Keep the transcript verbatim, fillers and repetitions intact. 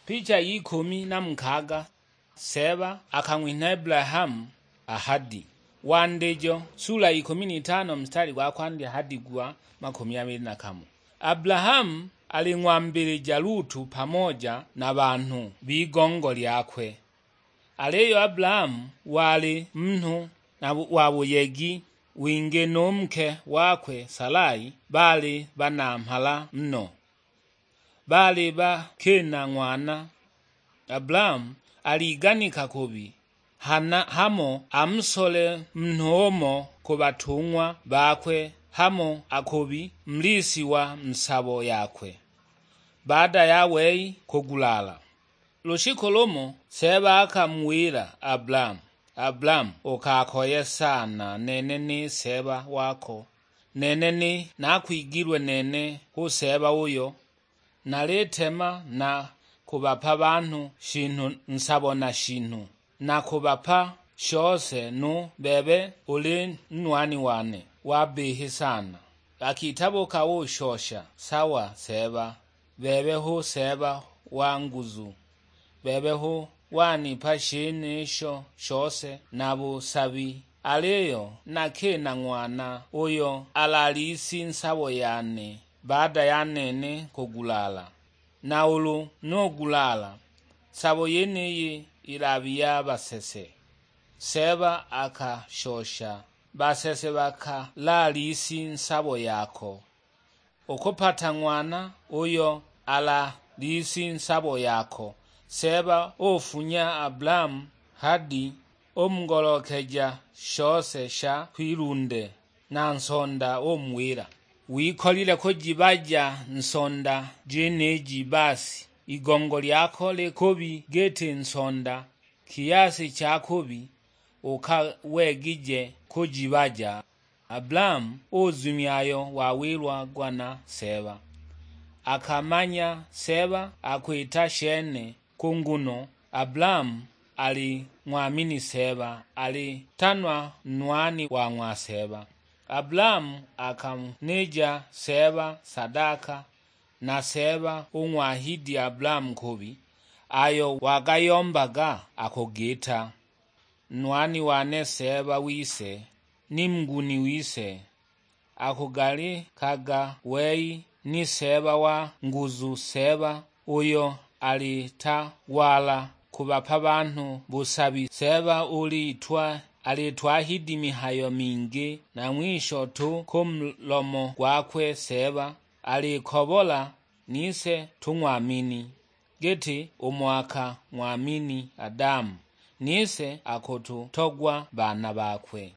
Picha y'ikumi na mukaaga. Seeba akang'winha Abulahamu a hadi. Wandijo sula ikumi n'itano mstari gwa kwandya hadi gwa makumi abili na kamo. Abulahamu aling'wambilija Lutu pamoja na banhu b'igongo lyakwe. Aliyo Abulahamu wali munhu na bu-, wa buyegi wingi, nu nke wakwe Salai baali banamhala no. Baali bakina ng'wana. Abulahamu aliganika kubi, hana hamo amusole munhu umo ku batung'wa bakwe, hamo akubi mulisi wa mu sabo yakwe, baada ya wei kugulaala. Lushiku lumo Seeba akamuwila Abulahamu, "Abulahamu, ukakoye sana, nene ni Seeba wako. Nene ni nakwigilwe nene hu Seeba uyo, nalitema na kubapa banhu shinhu nsabo na shinhu, na kubapa shose nu bebe uli nwani wane wa bihi sana." Akitabuka ushosha, "Sawa Seeba, bebe hu Seeba wa nguzu, bebe hu wanipa shenisho shose na busabi, aliyo nakina ng'wana uyo alali isi nsabo yane baada ya nene kugulaala. Na ulu nugulaala, sabo yeniyi ilabi ya basese." Seeba akashosha, "Basese bakalali isi nsabo yako. Ukupata ng'wana uyo alali isi nsabo yako." Seeba ufunya Abulahamu hadi, umugolokeja shose sha kwilunde, na nsonda umuwila, "Wikolile kujibaja nsonda jeniji basi, igongo lyako likubi giti nsonda, kiyasi cha kubi ukawegije kujibaja." Abulahamu uzumya ayo wawilagwa na Seeba. Akamanya Seeba akwita shene, ku nguno Abulahamu ali ng'wamini Seeba, alitanwa nwani wa ng'wa Seeba. Abulahamu akanija Seeba sadaka, na Seeba ung'wahidi Abulahamu kubi ayo wagayombaga akugita. Nwani wane Seeba wise, ni muguni wise, akugalikaga wei ni Seeba wa nguzu, Seeba uyo alitagwala kubapa banhu busabi. Seeba ulitwa-, alitwahidi mihayo mingi, na ng'wisho tu ku mulomo gwakwe Seeba alikobola nise tung'wamini, giti umo akang'wamini Adamu, nise akututogwa baana bakwe.